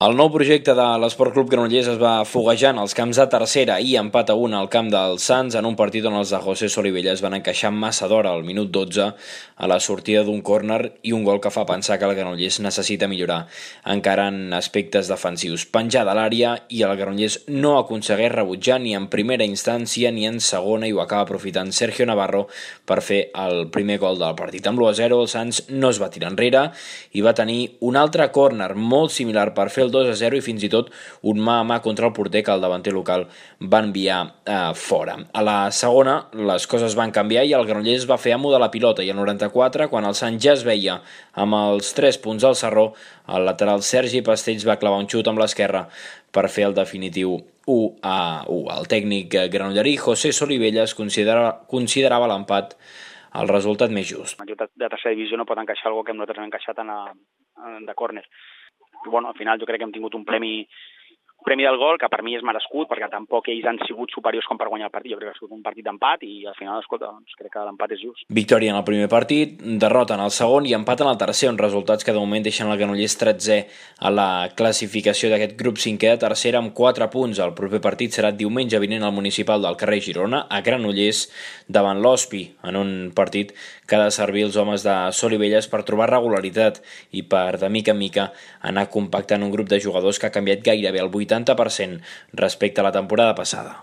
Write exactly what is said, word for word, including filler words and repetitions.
El nou projecte de l'Esport Club Granollers es va foguejant als camps de tercera i empat a un al camp del Sants en un partit on els de José Solivella es van encaixar massa d'hora al minut dotze a la sortida d'un córner i un gol que fa pensar que el Granollers necessita millorar encara en aspectes defensius. Penjar de l'àrea i el Granollers no aconsegueix rebutjar ni en primera instància ni en segona i ho acaba aprofitant Sergio Navarro per fer el primer gol del partit. Amb l'u a zero el Sants no es va tirar enrere i va tenir un altre córner molt similar per fer el dos a zero i fins i tot un mà a mà contra el porter que el davanter local va enviar eh, fora. A la segona les coses van canviar i el Granollers va fer amo de la pilota i al noranta-quatre, quan el Sant ja es veia amb els tres punts al sarró, el lateral Sergi Pastells va clavar un xut amb l'esquerra per fer el definitiu u a u. El tècnic granollerí José Solivelles considerava, considerava l'empat el resultat més just. Un equip de tercera divisió no pot encaixar alguna que nosaltres hem encaixat en a, en de córner. Bueno, al final jo crec que hem tingut un premi premi del gol, que per mi és merescut, perquè tampoc ells han sigut superiors com per guanyar el partit. Jo crec que ha sigut un partit d'empat i al final, escolta, doncs crec que l'empat és just. Victòria en el primer partit, derrota en el segon i empat en el tercer, uns resultats que de moment deixen el Granollers tretzè a la classificació d'aquest grup cinquè de tercera amb quatre punts. El proper partit serà diumenge vinent al municipal del carrer Girona, a Granollers, davant l'Hospi, en un partit que ha de servir els homes de Solivelles per trobar regularitat i per, de mica en mica, anar compactant un grup de jugadors que ha canviat gairebé el vuitanta per cent respecte a la temporada passada.